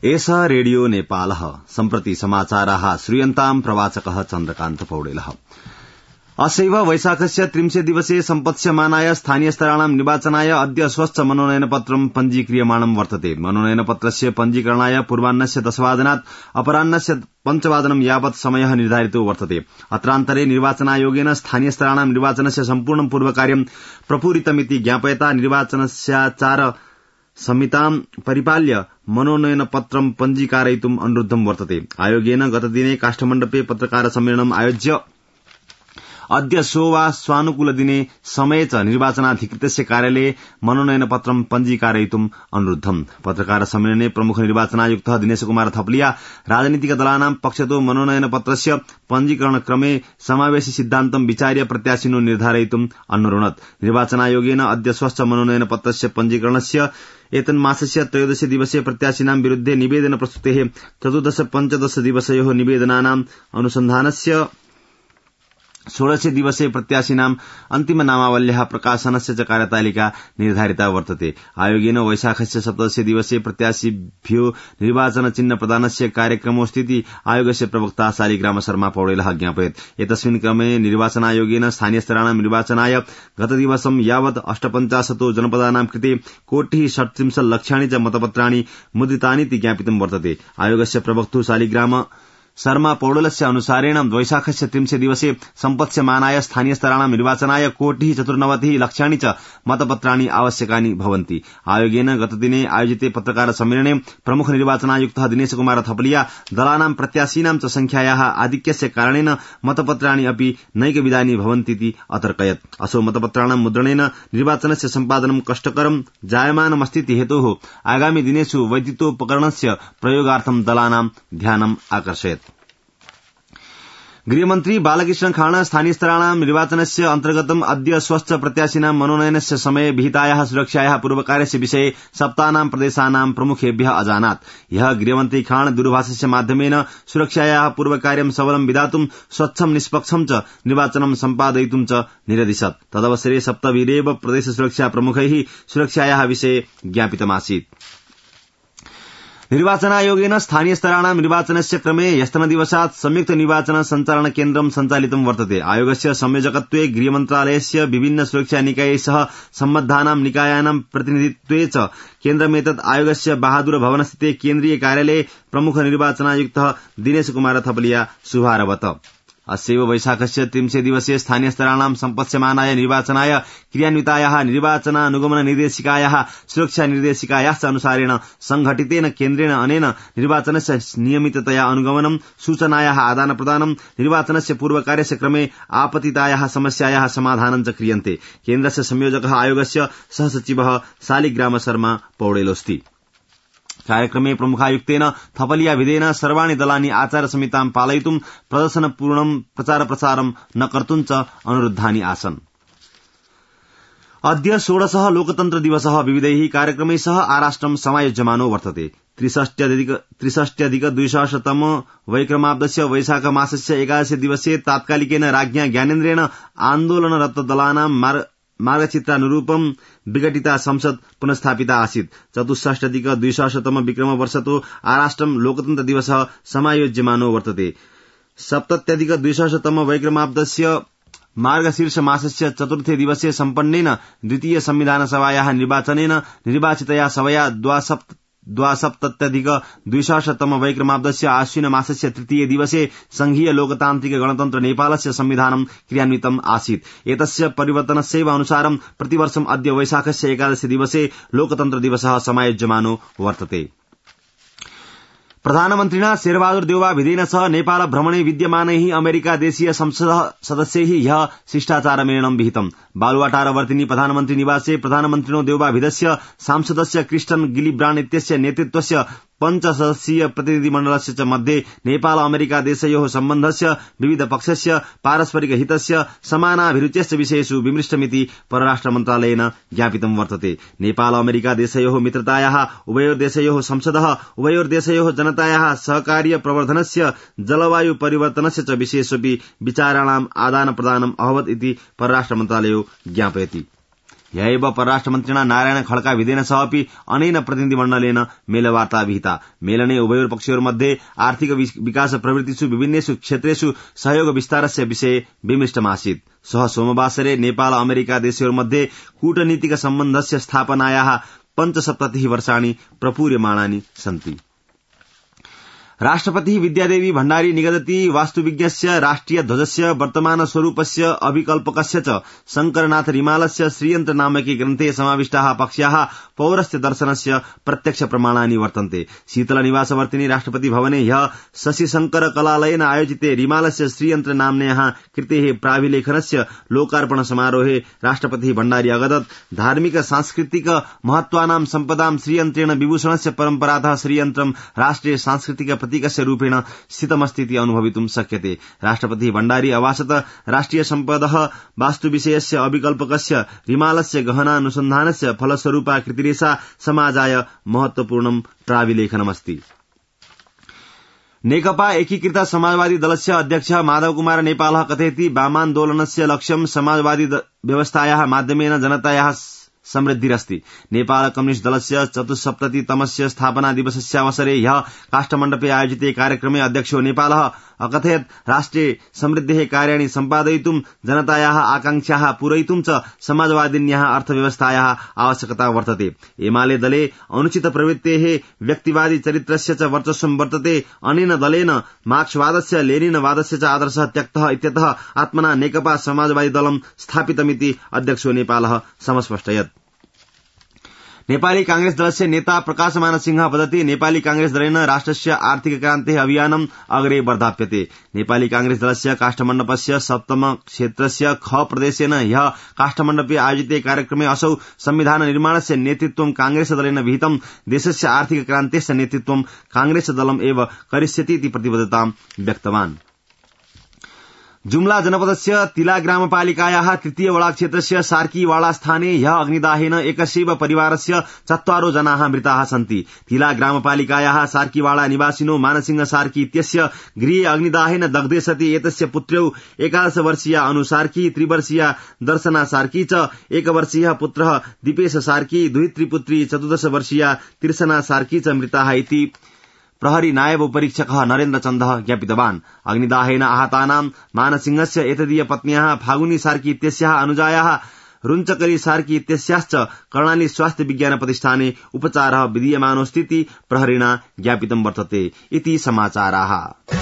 एष रेडियो नेपालः सम्प्रति समाचाराः श्रूयन्ताम् प्रवाचकः चन्द्रकान्त पौडेलः। असैव वैशाखस्य 30 दिवसे सम्पत्स्यमानाय स्थानीयस्तराणां निर्वाचनाय अद्य स्वच्छ मनोनयनपत्रं पञ्जीक्रियमाणं वर्तते। मनोनयनपत्रस्य पञ्जीकरणाय पूर्वाह्नस्य 10 वादनात् अपराह्नस्य 5 वादनं यावत् समयः निर्धारितो वर्तते। अत्रान्तरे निर्वाचनायोगेन स्थानीयस्तराणां निर्वाचनस्य सम्पूर्णं पूर्वकार्यं प्रपूरितमिति ज्ञापयता निर्वाचनस्याचार संहितां परिपाल्य मनोनयनपत्रं पञ्जीकारयितुम् अनुरुद्धं वर्तते। आयोगेन गतदिने काष्ठमण्डपे पत्रकार सम्मेलनम् आयोज्य अद्य स्वानुकूलदिने समये च निर्वाचनाधिकृतस्य कार्यालये मनोनयनपत्रं पञ्जीकारयितुम् अनुरुद्धम्। पत्रकार सम्मेलने प्रमुख निर्वाचनायुक्तः दिनेश कुमार थपलिया राजनीतिक दलानां पक्षतो मनोनयनपत्रस्य पञ्जीकरणक्रमे समावेशि सिद्धान्तं विचार्य प्रत्याशिनो निर्धारयितुम् अन्वरुणत्। निर्वाचनायोगेन अद्य स्वच्छ मनोनयनपत्रस्य पञ्जीकरणस्य एतन्मासस्य 13 दिवसे प्रत्याशिनां विरुद्धे निवेदन प्रस्तुतेः 14-15 दिवसयोः निवेदनानाम् अनुसन्धानस्य 16 दिवसे प्रत्याशिनाम् अन्तिम नामावल्याः प्रकाशनस्य च कार्यतालिका निर्धारिता वर्तते। आयोगेन वैशाखस्य 17 दिवसे प्रत्याशिभ्यो निर्वाचन चिह्न प्रदानस्य कार्यक्रमोऽस्तीति आयोगस्य प्रवक्ता शालिग्राम शर्मा पौडेलः ज्ञापयत्। एतस्मिन् क्रमे निर्वाचनायोगेन स्थानीयस्तराणां निर्वाचनाय गतदिवसं यावत् 58 जनपदानां कृते 1,37 लक्षाणि च मतपत्राणि मुद्रितानीति ज्ञापितं वर्तते। आयोगस्य प्रवक्तुः शालिग्राम शर्मा पौडेलस्य अनुसारेण वैशाखस्य 30 दिवसे सम्पत्स्यमानाय स्थानीयस्तराणां निर्वाचनाय 1,94 लक्षाणि च मतपत्राणि आवश्यकानि भवन्ति। आयोगेन गतदिने आयोजिते पत्रकार सम्मेलने प्रमुख निर्वाचनायुक्तः दिनेश कुमार थपलिया दलानां प्रत्याशीनां च संख्यायाः आधिक्यस्य कारणेन मतपत्राणि अपि नैकविधानि भवन्तीति अतर्कयत्। असो मतपत्राणां मुद्रणेन निर्वाचनस्य सम्पादनं कष्टकरं जायमानमस्तीति हेतोः आगामि दिनेषु वैद्युतोपकरणस्य प्रयोगार्थं दलानां ध्यानम् आकर्षयत्। गृहमन्त्री बालकृष्ण खाण स्थानीयस्तराणां निर्वाचनस्य अन्तर्गतम् अद्य स्वच्छ प्रत्याशिनां मनोनयनस्य समये विहितायाः सुरक्षायाः पूर्वकार्यस्य विषये सप्तानां प्रदेशानां प्रमुखेभ्यः अजानात्। ह्यः गृहमन्त्री खाण दूरभाषस्य माध्यमेन सुरक्षायाः पूर्वकार्यं सबलं विधातुं स्वच्छं निष्पक्षं च निर्वाचनं सम्पादयितुं च निरदिशत्। तदवसरे सप्तभिरेव प्रदेश सुरक्षा प्रमुखैः सुरक्षायाः विषये ज्ञापितमासीत्। निर्वाचनायोगेन स्थानीयस्तराणां निर्वाचनस्य क्रमे ह्यस्तनदिवसात् संयुक्त निर्वाचन सञ्चालन केन्द्रं सञ्चालितं वर्तते। आयोगस्य संयोजकत्वे गृहमन्त्रालयस्य विभिन्न सुरक्षा निकायैः सह सम्बद्धानां निकायानां प्रतिनिधित्वे च केन्द्रमेतत् आयोगस्य बहादुर भवनस्थिते केन्द्रीय कार्यालये प्रमुख निर्वाचनायुक्तः दिनेश कुमार थपलिया शुभारभत। अस्यैव वैशाखस्य 30 दिवसे स्थानीयस्तराणां सम्पत्स्यमानाय निर्वाचनाय क्रियान्वितायाः निर्वाचनानुगमन निर्देशिकायाः सुरक्षा निर्देशिकायाश्च अनुसारेण संघटितेन केन्द्रेण अनेन निर्वाचनस्य नियमिततया अनुगमनं सूचनायाः आदानप्रदानं निर्वाचनस्य पूर्वकार्यस्य क्रमे आपतितायाः समस्यायाः समाधानं च क्रियन्ते। केन्द्रस्य संयोजकः आयोगस्य सहसचिवः शालिग्राम शर्मा पौडेलोऽस्ति। कार्यक्रमे प्रमुखायुक्तेन थपलिया विधेन सर्वाणि दलानि आचार संहितां पालयितुं प्रदर्शनपूर्णं प्रचार प्रसारं न कर्तुं च अनुरुद्धानि आसन्। अद्य 16 लोकतन्त्र दिवसः विविधैः कार्यक्रमैः सह आराष्ट्रं समायोज्यमानो वर्तते। 63-200 वैक्रमाब्दस्य वैशाख मासस्य 11 दिवसे तात्कालिकेन राज्ञा ज्ञानेन्द्रेण आन्दोलनरत दलानां मार्गचित्रानुरूपं विघटिता संसद पुनस्थापिता आसीत्। 64-200 विक्रमवर्षतो आराष्ट्रं लोकतन्त्र दिवसः समायोज्यमानो वर्तते। 70-200 वैक्रमाब्दस्य मार्गशीर्ष मासस्य 4थे दिवसे सम्पन्नेन द्वितीय संविधान सभायाः निर्वाचनेन निर्वाचितया सभया 72-200 वैक्रमाब्दस्य आश्विन मासस्य 3 दिवसे संघीय लोकतान्त्रिक गणतन्त्र नेपालस्य संविधानं क्रियान्वितम् आसीत्। एतस्य परिवर्तनस्यैव अनुसारं प्रतिवर्षम् अद्य वैशाखस्य 11 दिवसे लोकतन्त्र दिवसः समायोज्यमानो वर्तते। प्रधानमन्त्रिणा शेरबहादुर देउवा विधेन सह नेपाल भ्रमणे विद्यमानैः अमेरिका देशीय संसद सदस्यैः ह्यः शिष्टाचारमेलनं विहितम्। बालुवाटारवर्तिनी प्रधानमन्त्री निवासे प्रधानमन्त्रिणो देउवा विधस्य सांसदस्य क्रिस्टन गिलिब्राण्ड इत्यस्य नेतृत्वस्य 5 सदस्यीय प्रतिनिधिमण्डलस्य च मध्ये नेपाल अमेरिका देशयोः सम्बन्धस्य विविध पक्षस्य पारस्परिक हितस्य समानाभिरुचेश्च विषयेषु विमृष्टमिति परराष्ट्र मन्त्रालयेन ज्ञापितं वर्तते। नेपाल अमेरिका देशयोः मित्रतायाः उभयोर्देशयोः संसदः उभयोर्देशयोः जनतायाः सहकार्य प्रवर्धनस्य जलवायु परिवर्तनस्य च विषयेष्वपि विचाराणाम् आदान प्रदानम् अभवत् इति परराष्ट्र मन्त्रालयो ज्ञापयति। ह्यैव परराष्ट्रमन्त्रिणा नारायण खड्का विधेन सह अपि अनेन प्रतिनिधिमण्डलेन मेलवार्ता विहिता। मेलने उभयोर्पक्षयोर्मध्ये आर्थिक विकास प्रवृत्तिषु विभिन्नेषु क्षेत्रेषु सहयोग विस्तारस्य विषये विमृष्टमासीत्। सः सोमवासरे नेपाल अमेरिका देशयोर्मध्ये कूटनीतिक सम्बन्धस्य स्थापनायाः 75 वर्षाणि प्रपूर्यमाणानि सन्ति। राष्ट्रपति विद्यादेवी भण्डारी निगदति वास्तुविज्ञस्य राष्ट्रिय ध्वजस्य वर्तमान स्वरूपस्य अभिकल्पकस्य च शंकरनाथ रिमालस्य श्रीयन्त्र नामके ग्रन्थे समाविष्टाः पक्ष्याः पौरस्त्य दर्शनस्य प्रत्यक्ष प्रमाणानि वर्तन्ते। शीतल निवासवर्तिनि राष्ट्रपति भवने ह्यः शशिशंकर कलालयेन आयोजिते रिमालस्य श्रीयन्त्र नाम्न्याः कृतेः प्राभिलेखनस्य लोकार्पण समारोहे राष्ट्रपति भण्डारी अगदत् धार्मिक सांस्कृतिक महत्त्वानां सम्पदां श्रीयन्त्रेण विभूषणस्य परम्परातः श्रीयन्त्रं राष्ट्रिय सांस्कृतिक प्रतीकस्य रूपेण स्थितमस्तीति अनुभवितुं शक्यते। राष्ट्रपति भण्डारी अवासत राष्ट्रिय सम्पदः वास्तुविषयस्य अभिकल्पकस्य रिमालस्य गहनानुसन्धानस्य फलस्वरूपा कृतिरेषा समाजाय महत्वपूर्णं प्राविलेखनमस्ति। नेकपा एकीकृत समाजवादी दलस्य अध्यक्ष माधव कुमार नेपालः कथयति वामान्दोलनस्य लक्ष्यं समाजवादी व्यवस्थायाः माध्यमेन जनतायाः समृद्धिरस्ति। नेपाल कम्युनिस्ट दलस्य 74तमस्य स्थापना दिवसस्यावसरे ह्यः काष्ठमण्डपे आयोजिते कार्यक्रमे अध्यक्षो नेपालः अकथयत् राष्ट्रे समृद्धेः कार्याणि सम्पादयितुं जनतायाः आकांक्षाः पूरयितुं च समाजवादिन्याः अर्थव्यवस्थायाः आवश्यकता वर्तते। एमाले दले अनुचित प्रवृत्तेः व्यक्तिवादी चरित्रस्य च वर्चस्वं वर्तते। अनेन दलेन मार्क्सवादस्य लेनिनवादस्य च आदर्शः त्यक्तः इत्यतः आत्मना नेकपा समाजवादी दलं स्थापितमिति अध्यक्षो नेपालः समस्पष्टयत्। नेपाली कांग्रेस दलस्य नेता प्रकाशमान सिंह वदति नेपाली कांग्रेस दलेन राष्ट्रस्य आर्थिक क्रान्तेः अभियानम् अग्रे वर्धाप्यते। नेपाली कांग्रेस दलस्य काष्ठमण्डपस्य 7तम क्षेत्रस्य ख प्रदेशेन ह्यः काष्ठमण्डपे आयोजिते कार्यक्रमे असौ संविधान निर्माणस्य नेतृत्वं कांग्रेस दलेन विहितं। देशस्य आर्थिक क्रान्तेस्य नेतृत्वं कांग्रेस दलम् एव करिष्यति इति प्रतिबद्धतां व्यक्तवान्। जुम्ला जनपदस्य तिला ग्रामपालिकायाः तृतीय वडा क्षेत्रस्य सार्कीवाडा स्थाने ह्यः अग्निदाहेन एकस्यैव परिवारस्य 4 जनाः मृताः सन्ति। तिला ग्रामपालिकायाः सार्कीवाडा निवासिनो मानसिंह सार्की इत्यस्य गृहे अग्निदाहेन दग्धे सति एतस्य पुत्र्यौ 11 वर्षीया अनु सार्की, 3 वर्षीया दर्शना सार्की च 1 वर्षीयः पुत्रः दीपेश सार्की, द्वित्री पुत्री 14 वर्षीया तिर्सना सार्की च मृताः इति प्रहरी नायब उपरीक्षकः नरेन्द्र चन्दः ज्ञापितवान्। अग्निदाहेन आहतानां मानसिंहस्य एतदीय पत्न्याः फागुनी सार्की इत्यस्याः अनुजायाः रुञ्चकरी सार्की इत्यस्याश्च कर्णाली स्वास्थ्य विज्ञान प्रतिष्ठाने उपचारः विधीयमानोऽस्तीति प्रहरिणा ज्ञापितं वर्तते इति समाचाराः।